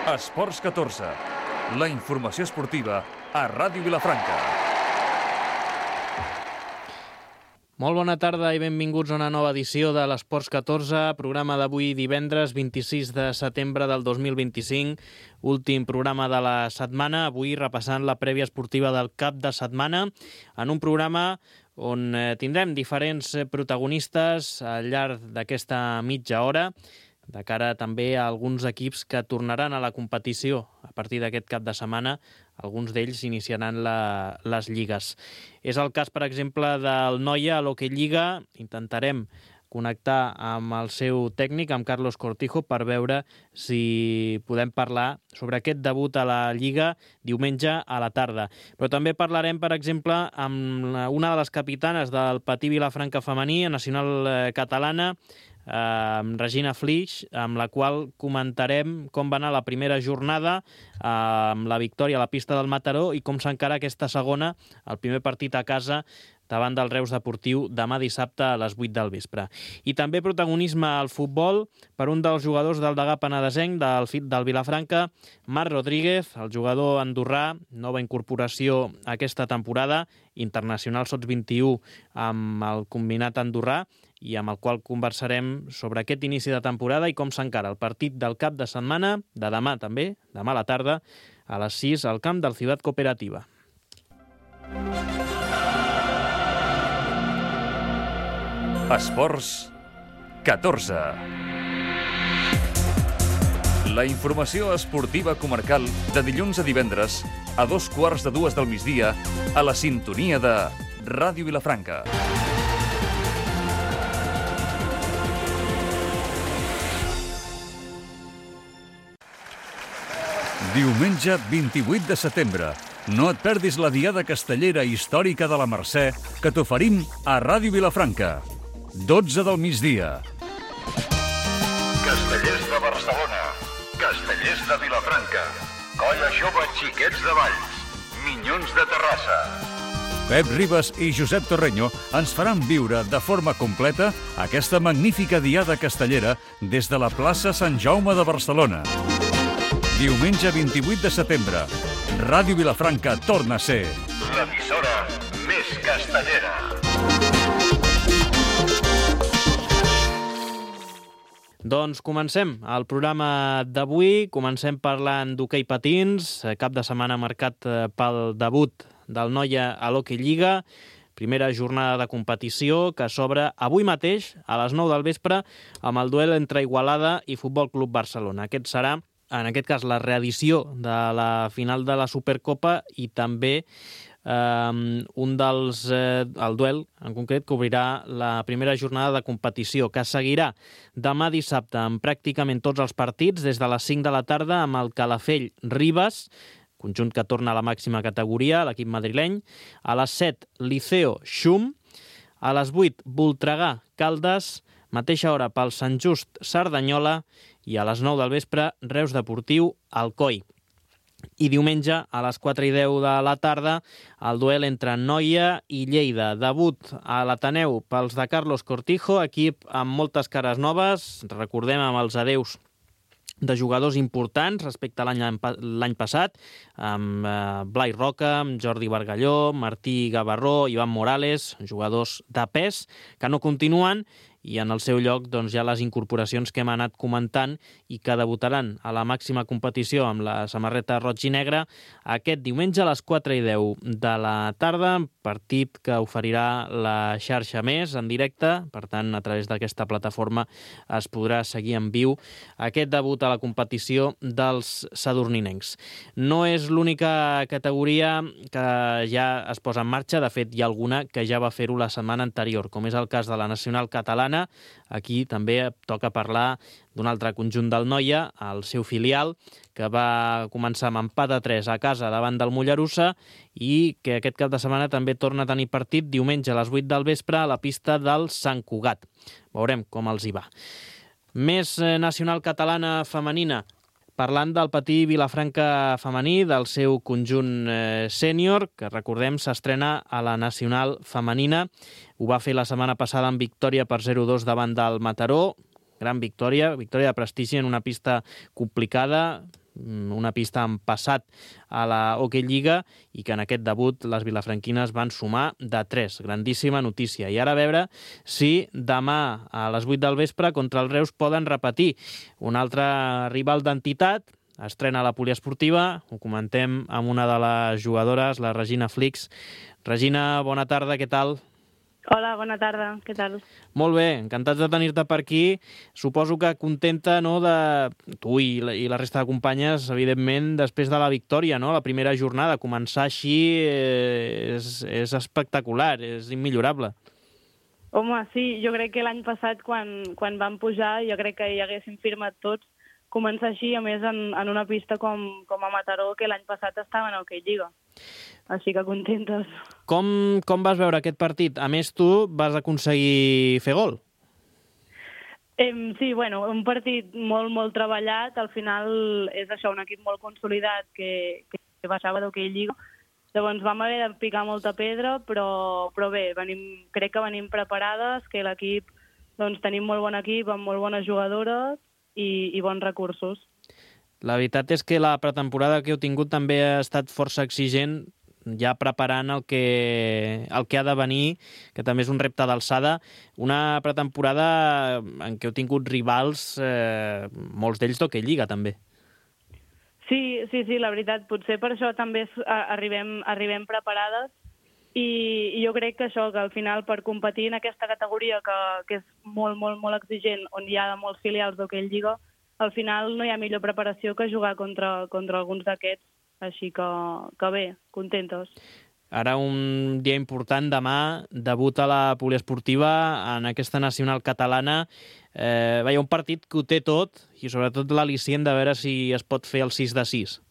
Esports 14, la informació esportiva a Ràdio Vilafranca. Molt bona tarda i benvinguts a una nova edició de l'Esports 14, programa d'avui divendres 26 de setembre del 2025, últim programa de la setmana, avui repassant la prèvia esportiva del cap de setmana, en un programa on tindrem diferents protagonistes al llarg d'aquesta mitja hora, de cara també a alguns equips que tornaran a la competició a partir d'aquest cap de setmana. Alguns d'ells iniciaran les lligues. És el cas, per exemple, del Noia a l'Hockey Lliga. Intentarem connectar amb el seu tècnic, amb Carlos Cortijo, per veure si podem parlar sobre aquest debut a la Lliga diumenge a la tarda. Però també parlarem, per exemple, amb una de les capitanes del Patí Vilafranca femení, nacional catalana, Regina Flix, amb la qual comentarem com va anar la primera jornada amb la victòria a la pista del Mataró i com s'encara aquesta segona, el primer partit a casa davant del Reus Deportiu demà dissabte a les 8 del vespre. I també protagonisme al futbol per un dels jugadors del Degà Penedesenc, del Vilafranca, Marc Rodríguez, el jugador andorrà, nova incorporació aquesta temporada, internacional sots 21 amb el combinat andorrà, i amb el qual conversarem sobre aquest inici de temporada i com s'encara el partit del cap de setmana, de demà també, demà a la tarda, a les 6 al camp del Ciutat Cooperativa. Esports 14. La informació esportiva comarcal de dilluns a divendres a 2:15 del migdia a la sintonia de Ràdio Vilafranca. Diumenge 28 de setembre. No et perdis la diada castellera històrica de la Mercè que t'oferim a Ràdio Vilafranca. 12 del migdia. Castellers de Barcelona, Castellers de Vilafranca, Colla Jove Xiquets de Valls, Minyons de Terrassa. Pep Ribas i Josep Torreño ens faran viure de forma completa aquesta magnífica diada castellera des de la plaça Sant Jaume de Barcelona. Diumenge 28 de setembre, Ràdio Vilafranca torna a ser l'emissora més castellera. Doncs comencem el programa d'avui. Comencem parlant d'hoquei patins, cap de setmana marcat pel debut del Noia a l'Hockey Lliga. Primera jornada de competició que s'obre avui mateix a les 9 del vespre amb el duel entre Igualada i Futbol Club Barcelona. Aquest serà, en aquest cas, la reedició de la final de la Supercopa i també el duel, en concret, que obrirà la primera jornada de competició, que seguirà demà dissabte amb pràcticament tots els partits, des de les 5 de la tarda amb el Calafell Ribas, conjunt que torna a la màxima categoria, l'equip madrileny, a les 7 Liceo Xum, a les 8 Voltregà Caldes, mateixa hora pel Sant Just Cerdanyola i a les 9 del vespre Reus Deportiu Alcoi. I diumenge a les 4:10 de la tarda el duel entre Noia i Lleida. Debut a l'Ateneu pels de Carlos Cortijo, equip amb moltes cares noves, recordem amb els adeus de jugadors importants respecte a l'any passat, amb Blai Roca, amb Jordi Bargalló, Martí Gavarró, Ivan Morales, jugadors de pes que no continuen, i en el seu lloc doncs, hi ha les incorporacions que hem anat comentant i que debutaran a la màxima competició amb la samarreta roig i negra aquest diumenge a les 4:10 de la tarda, partit que oferirà la xarxa més en directe, per tant, a través d'aquesta plataforma es podrà seguir en viu aquest debut a la competició dels sadurninencs. No és l'única categoria que ja es posa en marxa, de fet hi ha alguna que ja va fer-ho la setmana anterior, com és el cas de la nacional catalana. Aquí també toca parlar d'un altre conjunt del Noia, el seu filial, que va començar amb empat a 3 a casa davant del Mollerussa i que aquest cap de setmana també torna a tenir partit diumenge a les 8 del vespre a la pista del Sant Cugat. Veurem com els hi va. Més nacional catalana femenina. Parlant del Patí Vilafranca femení, del seu conjunt sènior, que recordem s'estrena a la nacional femenina. Ho va fer la setmana passada amb victòria per 0-2 davant del Mataró. Gran victòria de prestigi en una pista complicada, una pista en passat a la Hockey Lliga i que en aquest debut les vilafranquines van sumar de 3. Grandíssima notícia. I ara a veure si demà a les 8 del vespre contra el Reus poden repetir. Un altre rival d'entitat estrena la poliesportiva. Ho comentem amb una de les jugadores, la Regina Flix. Regina, bona tarda, què tal? Hola, bona tarda, què tal? Molt bé, encantats de tenir-te per aquí. Suposo que contenta, no, de tu i la resta de companyes, evidentment, després de la victòria, no? La primera jornada, començar així és espectacular, és immillorable. Home, sí, jo crec que l'any passat, quan vam pujar, jo crec que hi haguéssim firmat tots, començar així, a més, en una pista com a Mataró, que l'any passat estava en Hockey Lliga. Així que contentes. Com vas veure aquest partit? A més, tu vas aconseguir fer gol. Sí, bueno, un partit molt, molt treballat. Al final és això, un equip molt consolidat que baixava d'Hockey Lliga. Llavors vam haver de picar molta pedra, però bé, crec que venim preparades, que l'equip, doncs tenim molt bon equip, amb molt bones jugadores i bons recursos. La veritat és que la pretemporada que heu tingut també ha estat força exigent, ja preparant el que ha de venir, que també és un repte d'alçada. Una pretemporada en què heu tingut rivals, molts d'ells d'Hockey Lliga, també. Sí, la veritat, potser per això també arribem preparades i jo crec que això, que al final per competir en aquesta categoria que és molt, molt, molt exigent, on hi ha molts filials d'Hockey Lliga, al final no hi ha millor preparació que jugar contra alguns d'aquests, així que bé, contentes. Ara un dia important, demà, debut a la poliesportiva en aquesta nacional catalana. Veia un partit que ho té tot i sobretot l'al·licient de veure si es pot fer el 6-6.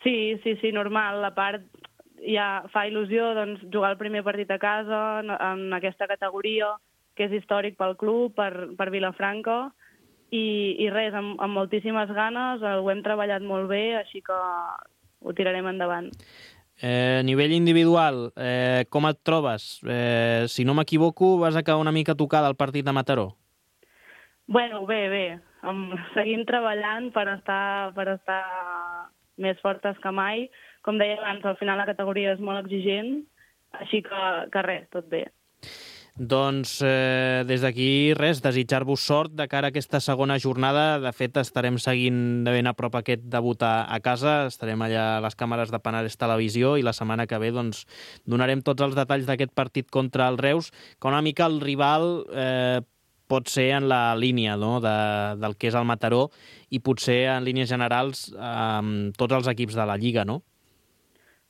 Sí, normal. A part, ja fa il·lusió doncs, jugar el primer partit a casa en aquesta categoria, que és històric pel club, per Vilafranca, i res, amb moltíssimes ganes, ho hem treballat molt bé, així que ho tirarem endavant. A nivell individual, com et trobes? Si no m'equivoco, vas acabar una mica tocada al partit de Mataró. Bueno, bé. Seguim treballant per estar més fortes que mai. Com deia abans, al final la categoria és molt exigent, així que res, tot bé. Doncs des d'aquí res, desitjar-vos sort de cara a aquesta segona jornada. De fet, estarem seguint de ben a prop aquest debut a casa, estarem allà a les càmeres de Penedès Televisió i la setmana que ve doncs, donarem tots els detalls d'aquest partit contra el Reus, que una mica el rival pot ser en la línia, no? del que és el Mataró i potser en línies generals tots els equips de la Lliga, no?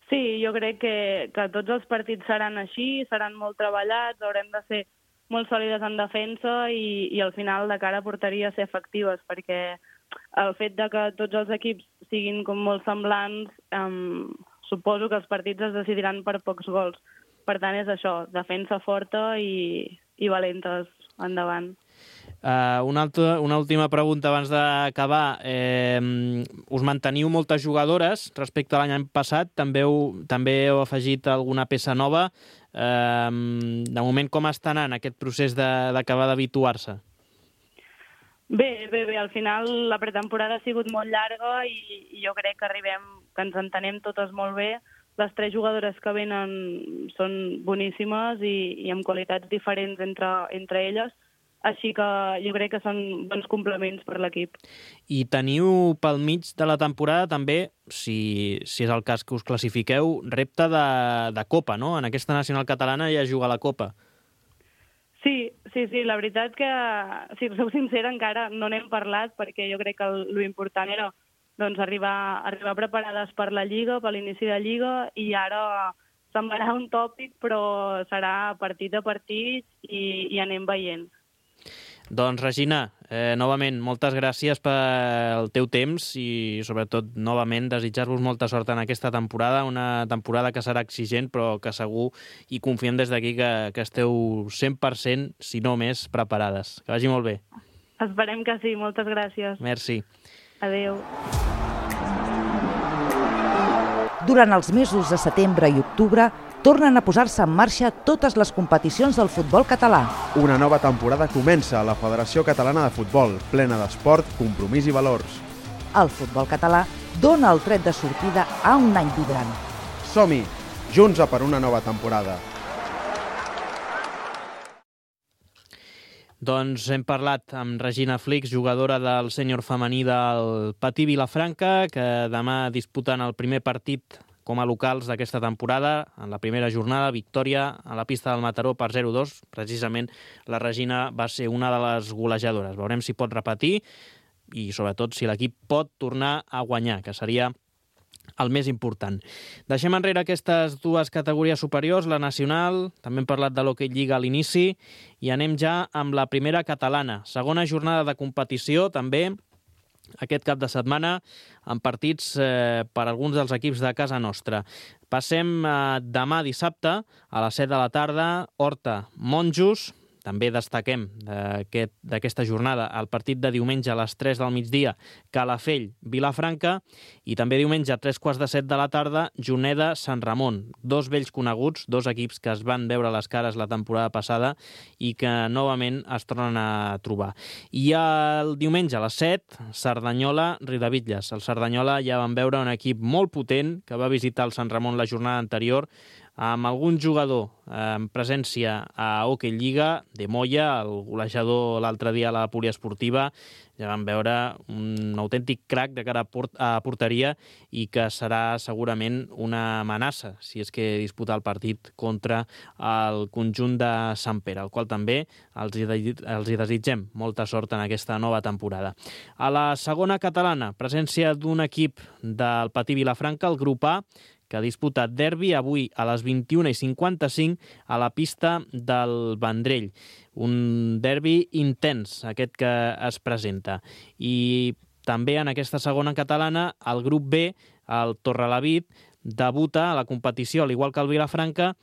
Sí, jo crec que tots els partits seran així, seran molt treballats, haurem de ser molt sòlides en defensa i al final de cara a porteria ser efectives, perquè el fet de que tots els equips siguin com molt semblants, suposo que els partits es decidiran per pocs gols. Per tant, és això, defensa forta i valentes endavant. Una última pregunta abans d'acabar. Us manteniu moltes jugadores respecte a l'any passat? També heu afegit alguna peça nova? De moment, com està anant aquest procés d'acabar d'habituar-se? Bé, al final la pretemporada ha sigut molt llarga i jo crec que ens entenem totes molt bé. Les 3 jugadores que venen són boníssimes i amb qualitats diferents entre elles. Així que jo crec que són bons complements per l'equip. I teniu pel mig de la temporada també, si és el cas que us classifiqueu, repte de Copa, no? En aquesta nacional catalana ja juga la Copa. Sí, la veritat que, si us sou sincera, encara no n'hem parlat perquè jo crec que l'important era doncs, arribar preparades per la Lliga, per l'inici de Lliga, i ara semblarà un tòpic, però serà partit a partit i anem veient. Doncs, Regina, novament, moltes gràcies pel teu temps i, sobretot, novament, desitjar-vos molta sort en aquesta temporada, una temporada que serà exigent, però que segur i confiem des d'aquí que esteu 100%, si no més, preparades. Que vagi molt bé. Esperem que sí, moltes gràcies. Merci. Adéu. Durant els mesos de setembre i octubre, tornen a posar-se en marxa totes les competicions del futbol català. Una nova temporada comença a la Federació Catalana de Futbol, plena d'esport, compromís i valors. El futbol català dona el tret de sortida a un any vibrant. Som-hi, junts a per una nova temporada. Doncs hem parlat amb Regina Flix, jugadora del sènior femení del Patí Vilafranca, que demà disputen el primer partit com a locals d'aquesta temporada. En la primera jornada, victòria a la pista del Mataró per 0-2. Precisament la Regina va ser una de les golejadores. Veurem si pot repetir i sobretot si l'equip pot tornar a guanyar, que seria el més important. Deixem enrere aquestes dues categories superiors, la nacional, també hem parlat de l'Hockey Lliga a l'inici, i anem ja amb la primera catalana. Segona jornada de competició, també, aquest cap de setmana, amb partits per alguns dels equips de casa nostra. Passem demà dissabte, a les 7 de la tarda, Horta-Monjos. També destaquem d'aquesta jornada el partit de diumenge a les 3 del migdia, Calafell-Vilafranca, i també diumenge a 3:15 de la tarda, Juneda-Sant Ramon. Dos vells coneguts, dos equips que es van veure les cares la temporada passada i que novament es tornen a trobar. I el diumenge a les 7, Cerdanyola-Riudebitlles. El Cerdanyola ja van veure un equip molt potent que va visitar el Sant Ramon la jornada anterior, amb algun jugador en presència a Hockey Lliga, de Moya, el golejador l'altre dia a la poliesportiva. Ja vam veure un autèntic crac de cara a porteria i que serà segurament una amenaça si és que disputa el partit contra el conjunt de Sant Pere, al qual també els hi desitgem molta sort en aquesta nova temporada. A la segona catalana, presència d'un equip del Patí Vilafranca, el grup A, que ha disputat derbi avui a les 21:55 a la pista del Vendrell. Un derbi intens, aquest que es presenta. I també en aquesta segona catalana, el grup B, el Torrelavit, debuta a la competició, al igual que el Vilafranca,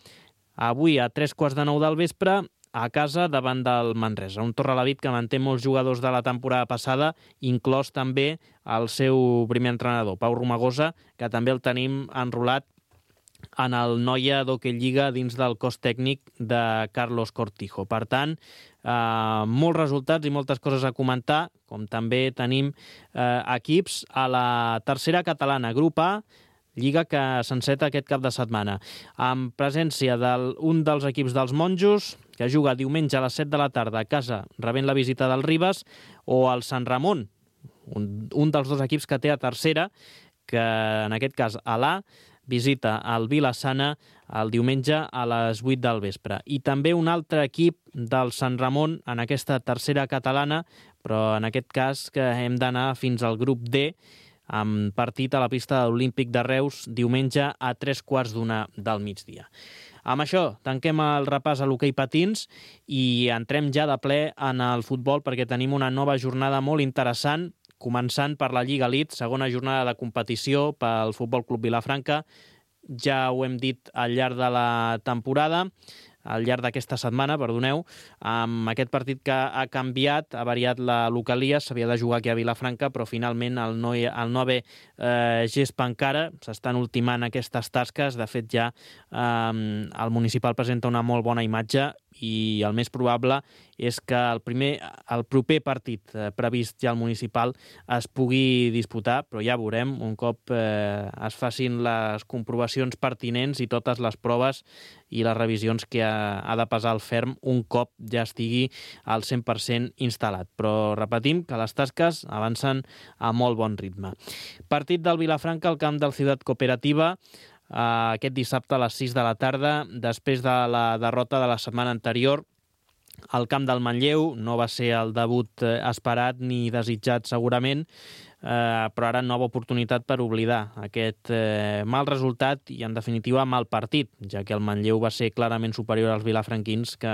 avui a 3:15 del vespre, a casa davant del Manresa. Un Torrelavit que manté molts jugadors de la temporada passada, inclòs també el seu primer entrenador, Pau Romagosa, que també el tenim enrolat en el Noia d'Hockey Lliga dins del cos tècnic de Carlos Cortijo. Per tant, molts resultats i moltes coses a comentar, com també tenim equips a la tercera catalana, grup A, lliga que s'enceta aquest cap de setmana, amb presència d'un dels equips dels Monjos, que juga diumenge a les 7 de la tarda a casa rebent la visita del Ribes, o el Sant Ramon, un dels dos equips que té a tercera, que en aquest cas a l'A, visita el Vila-sana el diumenge a les 8 del vespre. I també un altre equip del Sant Ramon en aquesta tercera catalana, però en aquest cas que hem d'anar fins al grup D, amb partit a la pista de l'Olímpic de Reus diumenge a 3:15 del migdia. Amb això tanquem el repàs a l'hoquei patins i entrem ja de ple en el futbol perquè tenim una nova jornada molt interessant, començant per la Lliga Elite, segona jornada de competició pel Futbol Club Vilafranca. Ja ho hem dit al llarg de la temporada, al llarg d'aquesta setmana, perdoneu, amb aquest partit que ha canviat, ha variat la localia, s'havia de jugar aquí a Vilafranca, però finalment el no haver gespa encara, s'estan ultimant aquestes tasques. De fet, ja el municipal presenta una molt bona imatge i el més probable és que el proper partit previst ja al municipal es pugui disputar, però ja veurem, un cop es facin les comprovacions pertinents i totes les proves i les revisions que ha de pesar el ferm un cop ja estigui al 100% instal·lat. Però repetim que les tasques avancen a molt bon ritme. Partit del Vilafranca al camp del Ciutat Cooperativa, aquest dissabte a les 6 de la tarda, després de la derrota de la setmana anterior. Al camp del Manlleu no va ser el debut esperat ni desitjat segurament, però ara nova oportunitat per oblidar aquest mal resultat i en definitiva mal partit, ja que el Manlleu va ser clarament superior als vilafranquins, que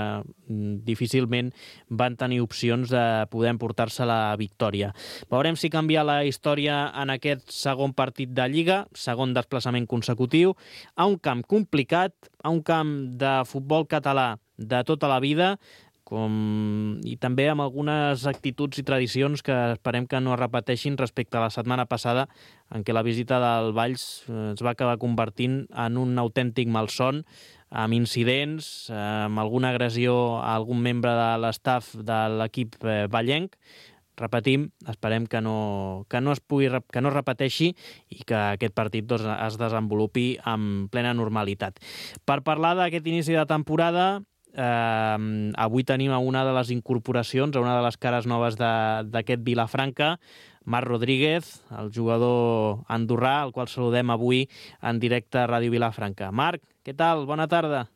difícilment van tenir opcions de poder emportar-se la victòria. Veurem si canvia la història en aquest segon partit de Lliga, segon desplaçament consecutiu, a un camp complicat, a un camp de futbol català de tota la vida, i també amb algunes actituds i tradicions que esperem que no es repeteixin respecte a la setmana passada, en què la visita del Valls es va acabar convertint en un autèntic malson, amb incidents, amb alguna agressió a algun membre de l'estaf de l'equip vallenc. repetim, esperem que no es repeteixi i que aquest partit doncs, es desenvolupi amb plena normalitat. Per parlar d'aquest inici de temporada, avui tenim una de les incorporacions, una de les cares noves d'aquest Vilafranca, Marc Rodríguez, el jugador andorrà, al qual saludem avui en directe a Ràdio Vilafranca. Marc, què tal? Bona tarda.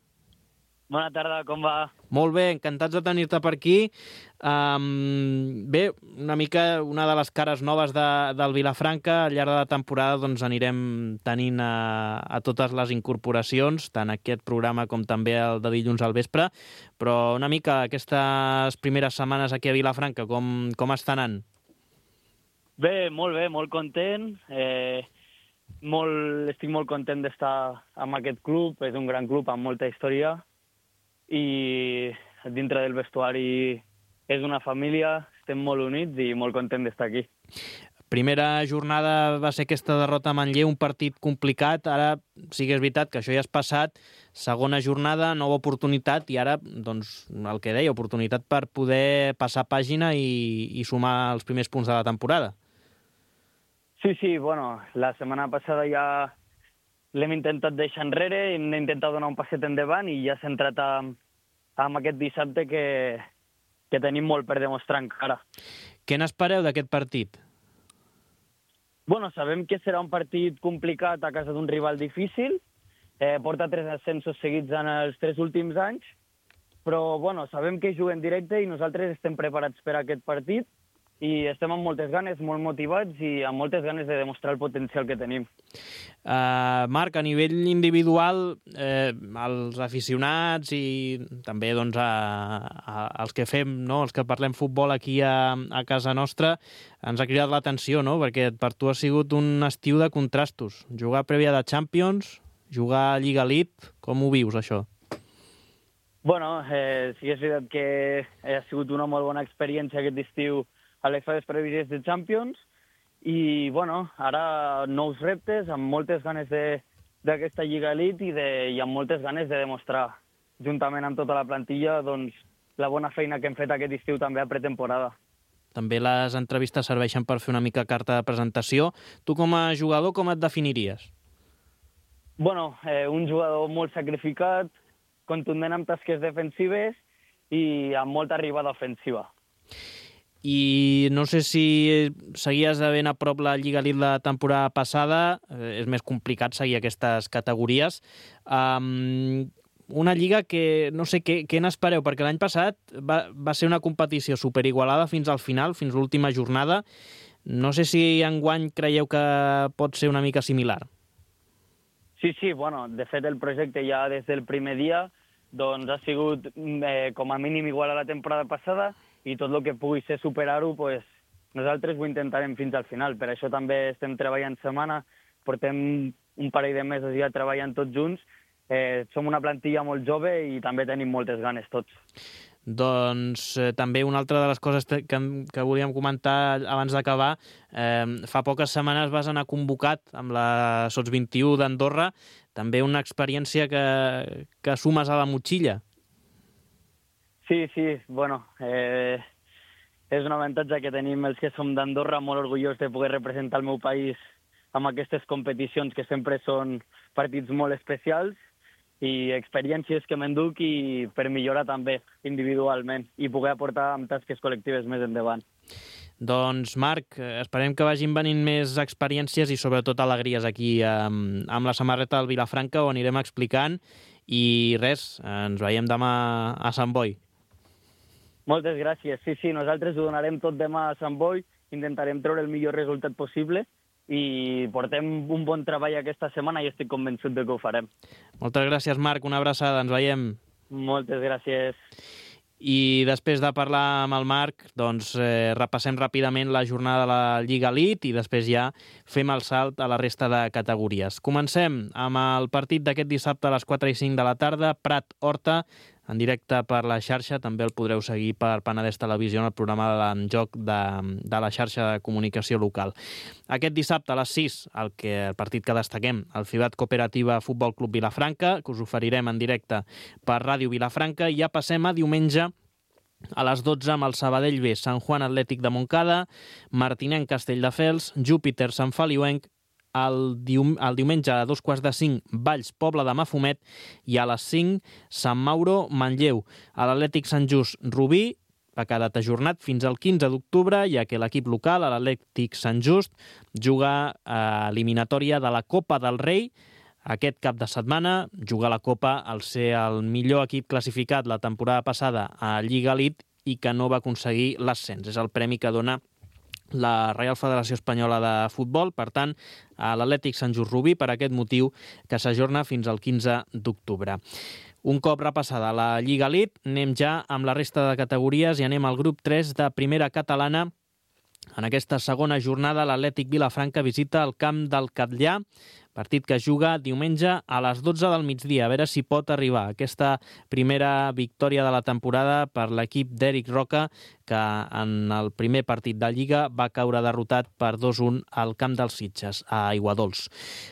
Bona tarda, com va? Molt bé, encantats de tenir-te per aquí. Bé, una mica una de les cares noves del Vilafranca. Al llarg de la temporada doncs, anirem tenint a totes les incorporacions, tant aquest programa com també el de dilluns al vespre. Però una mica aquestes primeres setmanes aquí a Vilafranca, com estan anant? Bé, molt content. Estic molt content d'estar amb aquest club. És un gran club amb molta història. I dintre del vestuari és una família, estem molt units i molt content d'estar aquí. Primera jornada va ser aquesta derrota a Manlleu, un partit complicat. Ara sí que és veritat que això ja és passat. Segona jornada, nova oportunitat i ara, doncs, el que deia, oportunitat per poder passar pàgina i sumar els primers punts de la temporada. Sí, bueno, la setmana passada ja l'hem intentat deixar enrere, hem intentat donar un passet endavant i ja s'ha entrat amb aquest dissabte que tenim molt per demostrar encara. Què n'espereu d'aquest partit? Bueno, sabem que serà un partit complicat a casa d'un rival difícil. Porta 3 ascensos seguits en els 3 últims anys, però bueno, sabem que juga en directe i nosaltres estem preparats per a aquest partit i estem amb moltes ganes, molt motivats i amb moltes ganes de demostrar el potencial que tenim. Marc, a nivell individual, els aficionats i també doncs, els que fem, no? Els que parlem futbol aquí a casa nostra, ens ha cridat l'atenció, no? Perquè per tu ha sigut un estiu de contrastos. Jugar prèvia de Champions, jugar a Lliga Elite, com ho vius, això? Bueno, sí que és veritat que ha sigut una molt bona experiència aquest estiu a les fases prèvies de Champions i, bueno, ara nous reptes, amb moltes ganes d'aquesta Lliga Elite i amb moltes ganes de demostrar, juntament amb tota la plantilla, doncs, la bona feina que hem fet aquest estiu també a pretemporada. També les entrevistes serveixen per fer una mica carta de presentació. Tu com a jugador, com et definiries? Bueno, un jugador molt sacrificat, contundent amb tasques defensives i amb molta arribada ofensiva. I no sé si seguies de ben a prop la Lliga Elite la temporada passada, és més complicat seguir aquestes categories. Una lliga que, no sé, què n'espereu? Perquè l'any passat va ser una competició superigualada fins al final, fins l'última jornada. No sé si enguany creieu que pot ser una mica similar. Sí, bueno, de fet el projecte ja des del primer dia doncs ha sigut com a mínim igual a la temporada passada i tot el que pugui ser superar-ho, pues, nosaltres ho intentarem fins al final. Per això també estem treballant setmana, portem un parell de mesos ja treballant tots junts, som una plantilla molt jove i també tenim moltes ganes tots. Doncs també una altra de les coses que volíem comentar abans d'acabar, fa poques setmanes vas anar convocat amb la Sots 21 d'Andorra, també una experiència que sumes a la motxilla. Sí, bueno, és un avantatge que tenim els que som d'Andorra, molt orgullós de poder representar el meu país amb aquestes competicions que sempre són partits molt especials i experiències que m'enduc i per millorar també individualment i poder aportar amb tasques col·lectives més endavant. Doncs, Marc, esperem que vagin venint més experiències i sobretot alegries aquí amb la samarreta del Vilafranca, on anirem explicant i res, ens veiem demà a Sant Boi. Moltes gràcies. Sí, nosaltres ho donarem tot demà a Sant Boi, intentarem treure el millor resultat possible i portem un bon treball aquesta setmana i estic convençut de que ho farem. Moltes gràcies, Marc. Una abraçada. Ens veiem. Moltes gràcies. I després de parlar amb el Marc, doncs repassem ràpidament la jornada de la Lliga Elite i després ja fem el salt a la resta de categories. Comencem amb el partit d'aquest dissabte a les 4 i 5 de la tarda, Prat-Horta, en directe per la xarxa. També el podreu seguir per Penedès Televisió en el programa de joc de la xarxa de comunicació local. Aquest dissabte a les 6, el partit que destaquem, el Fibat Cooperativa Futbol Club Vilafranca, que us oferirem en directe per Ràdio Vilafranca, i ja passem a diumenge A les 12 amb el Sabadell B, Sant Juan Atlètic de Montcada, Martinenc Castelldefels, Júpiter Sant Feliuenc, el diumenge a 2:45 Valls Pobla de Mafumet i a les 5 Sant Mauro Manlleu. A l'Atlètic Sant Just Rubí ha quedat ajornat fins al 15 d'octubre, ja que l'equip local, l'Atlètic Sant Just, juga a eliminatòria de la Copa del Rei. Aquest cap de setmana juga la Copa al ser el millor equip classificat la temporada passada a Lliga Elite i que no va aconseguir l'ascens. És el premi que dona la Reial Federació Espanyola de Futbol, per tant, a l'Atlètic Sant Just Rubí, per aquest motiu que s'ajorna fins al 15 d'octubre. Un cop repassada la Lliga Elite, anem ja amb la resta de categories i anem al grup 3 de Primera Catalana. En aquesta segona jornada, l'Atlètic Vilafranca visita el camp del Catllà, partit que es juga diumenge a les 12 del migdia. A veure si pot arribar aquesta primera victòria de la temporada per l'equip d'Eric Roca, que en el primer partit de Lliga va caure derrotat per 2-1 al camp dels Sitges, a Aiguadols.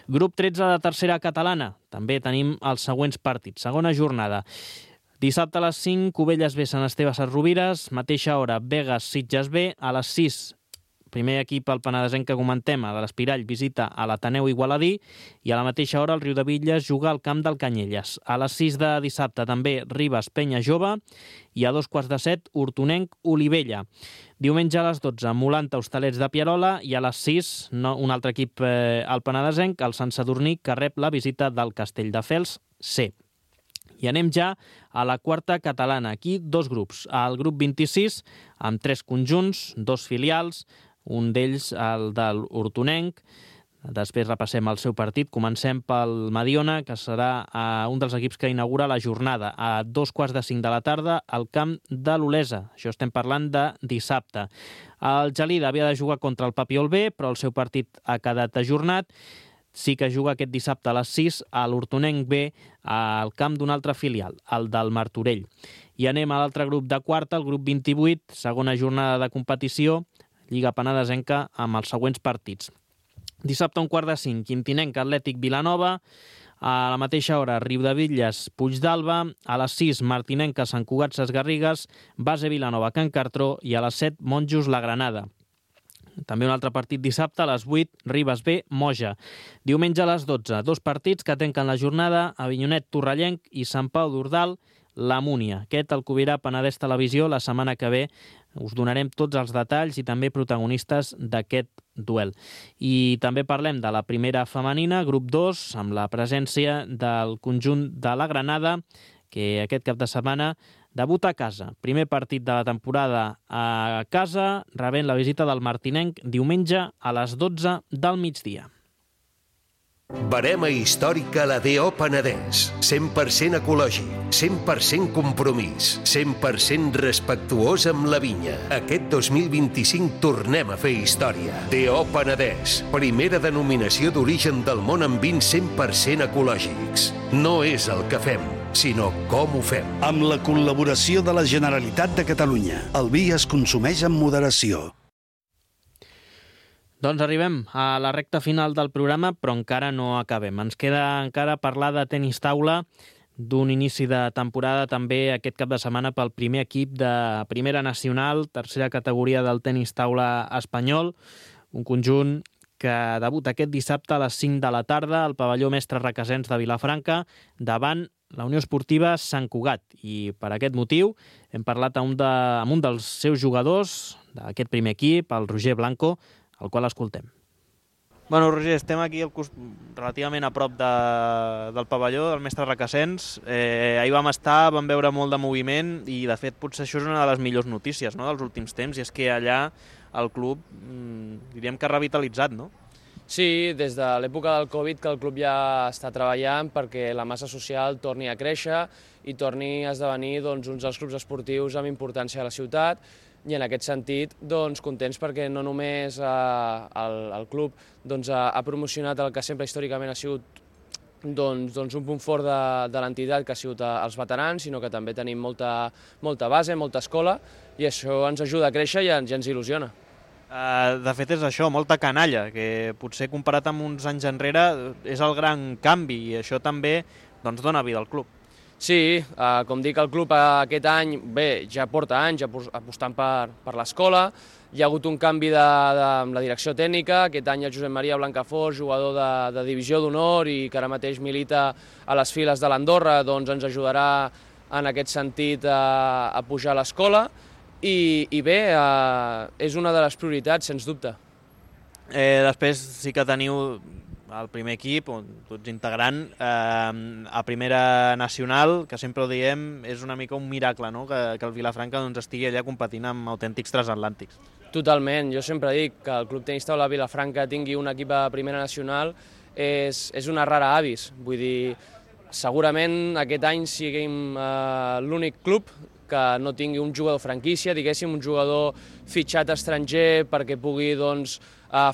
Grup 13 de Tercera Catalana. També tenim els següents partits. Segona jornada. Dissabte a les 5, Cubelles B, Sant Esteve Sesrovires, mateixa hora, Begues Sitges B, a les 6, primer equip al Penedesenc que comentem, de l'Espirall, visita a l'Ateneu Igualadí i a la mateixa hora el Riudebitlles juga al camp del Canyelles. A les 6 de dissabte també Ribes Penya Jove i a 2:15 Hortonenc Olivella. Diumenge a les 12 Molanta Hostalets de Pierola i a les 6 un altre equip al Penedesenc, el Sant Sadurní, que rep la visita del Castelldefels C. I anem ja a la quarta catalana. Aquí dos grups. El grup 26 amb 3 conjunts, 2 filials, un d'ells el del Hortonenc. Després repassem el seu partit. Comencem pel Mediona, que serà un dels equips que inaugura la jornada a 2:45 de la tarda al camp de l'Olesa. Això estem parlant de dissabte. El Gelida havia de jugar contra el Papiol B, però el seu partit ha quedat ajornat. Sí que juga aquest dissabte a les 6 a l'Hortonenc B al camp d'un altre filial, el del Martorell. I anem a l'altre grup de quarta, el grup 28, segona jornada de competició, Lliga Penedesenca, amb els següents partits. Dissabte a 4:45, Quintinenc Atlètic Vilanova, a la mateixa hora Riudebitlles Puigdàlber, a les 6 Martinenca Sant Cugat Ses Garrigues, Base Vilanova Can Cartró i a les 7 Monjos La Granada. També un altre partit dissabte a les 8, Ribes B, Moja. Diumenge a les 12, dos partits que tanquen la jornada, Avinyonet Torrellenc i Sant Pau d'Ordal, la Múnia. Aquest el cobrirà Penedès Televisió la setmana que ve. Us donarem tots els detalls i també protagonistes d'aquest duel. I també parlem de la primera femenina, grup 2, amb la presència del conjunt de la Granada, que aquest cap de setmana debuta a casa. Primer partit de la temporada a casa, rebent la visita del Martinenc diumenge a les 12 del migdia. Barema històrica la D.O. Penedès. 100% ecològic, 100% compromís, 100% respectuós amb la vinya. Aquest 2025 tornem a fer història. D.O. Penedès. Primera denominació d'origen del món amb vins 100% ecològics. No és el que fem, sinó com ho fem. Amb la col·laboració de la Generalitat de Catalunya. El vi es consumeix amb moderació. Doncs arribem a la recta final del programa, però encara no acabem. Ens queda encara parlar de tenis taula, d'un inici de temporada també aquest cap de setmana pel primer equip de Primera Nacional, tercera categoria del tenis taula espanyol, un conjunt que debuta aquest dissabte a les 5 de la tarda al pavelló Mestre Requesens de Vilafranca davant la Unió Esportiva Sant Cugat. I per aquest motiu hem parlat amb un dels seus jugadors d'aquest primer equip, el Roger Blanco, el qual escoltem. Bueno, Roger, estem aquí relativament a prop del pavelló del Mestre Requesens. Ahir vam estar, vam veure molt de moviment i, de fet, potser això és una de les millors notícies, no?, dels últims temps, i és que allà el club, diríem que ha revitalitzat, no? Sí, des de l'època del Covid que el club ja està treballant perquè la massa social torni a créixer i torni a esdevenir un dels clubs esportius amb importància a la ciutat. I en aquest sentit, contents perquè no només el club ha promocionat el que sempre històricament ha sigut un punt fort de l'entitat, que ha sigut els veterans, sinó que també tenim molta base, molta escola, i això ens ajuda a créixer i ens il·lusiona. De fet, és això, molta canalla, que potser comparat amb uns anys enrere és el gran canvi, i això també dona vida al club. Sí, com dic, el club aquest any, bé, ja porta anys apostant per l'escola. Hi ha hagut un canvi de la direcció tècnica. Aquest any el Josep Maria Blancafort, jugador de divisió d'honor i que ara mateix milita a les files de l'Andorra, doncs ens ajudarà en aquest sentit a pujar a l'escola. I bé, és una de les prioritats, sens dubte. Després sí que teniu el primer equip, on tu ets integrant, a primera nacional, que sempre ho diem, és una mica un miracle, no? que el Vilafranca estigui allà competint amb autèntics transatlàntics. Totalment, jo sempre dic que el Club Tenis Taula Vilafranca tingui un equip a primera nacional és una rara avis. Vull dir, segurament aquest any siguem l'únic club que no tingui un jugador franquícia, diguéssim, un jugador fitxat estranger perquè pugui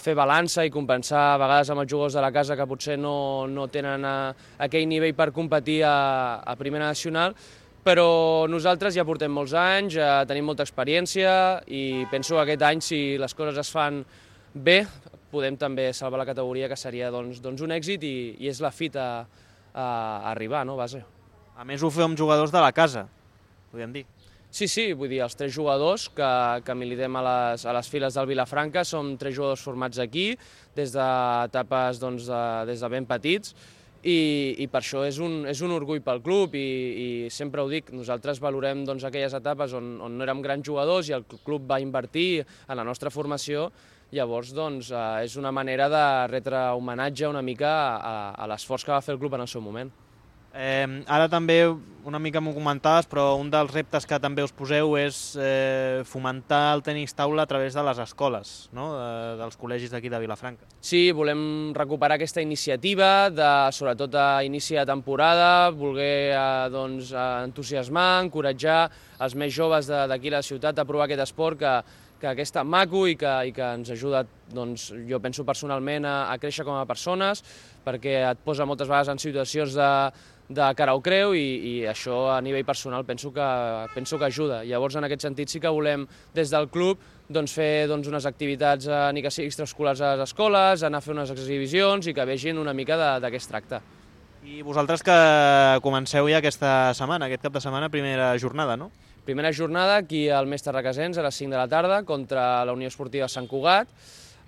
fer balança i compensar a vegades amb els jugadors de la casa que potser no tenen aquell nivell per competir a primera nacional, però nosaltres ja portem molts anys, tenim molta experiència i penso que aquest any, si les coses es fan bé, podem també salvar la categoria, que seria doncs un èxit i és la fita a arribar, no, base. A més, ho feu amb jugadors de la casa, podríem dir. Sí, vull dir, els 3 jugadors que militem a les files del Vilafranca som 3 jugadors formats aquí, des d'etapes des de ben petits, i per això és un orgull pel club i sempre ho dic, nosaltres valorem aquelles etapes on no érem grans jugadors i el club va invertir en la nostra formació. Llavors, és una manera de retre homenatge una mica a l'esforç que va fer el club en el seu moment. Ara també una mica m'ho comentaves, però un dels reptes que també us poseu és fomentar el tenis taula a través de les escoles, no? Dels col·legis d'aquí de Vilafranca. Sí, volem recuperar aquesta iniciativa, sobretot a inici de temporada, voler entusiasmar, encoratjar els més joves d'aquí a la ciutat a provar aquest esport que és tan maco i que ens ajuda, jo penso personalment, a créixer com a persones, perquè et posa moltes vegades en situacions de cara o creu i això a nivell personal penso que ajuda. Llavors, en aquest sentit, sí que volem des del club fer unes activitats, ni que sigui extraescolars a les escoles, anar a fer unes exhibicions i que vegin una mica de què es tracta. I vosaltres que comenceu ja aquesta setmana, aquest cap de setmana, primera jornada, no? Primera jornada aquí al Mestre Requesens a les 5 de la tarda contra la Unió Esportiva Sant Cugat.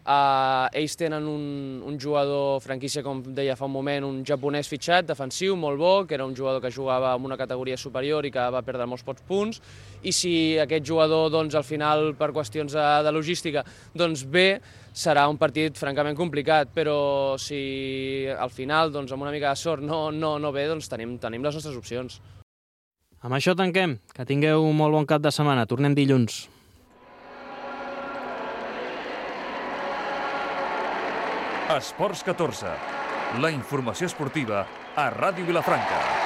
Ells tenen un jugador franquícia, com deia fa un moment, un japonès fitxat, defensiu, molt bo, que era un jugador que jugava en una categoria superior i que va perdre molts pocs punts, i si aquest jugador al final per qüestions de logística ve, serà un partit francament complicat, però si al final amb una mica de sort no ve, tenim les nostres opcions. Amb això tanquem. Que tingueu un molt bon cap de setmana. Tornem dilluns. Esports 14. La informació esportiva a Ràdio Vilafranca.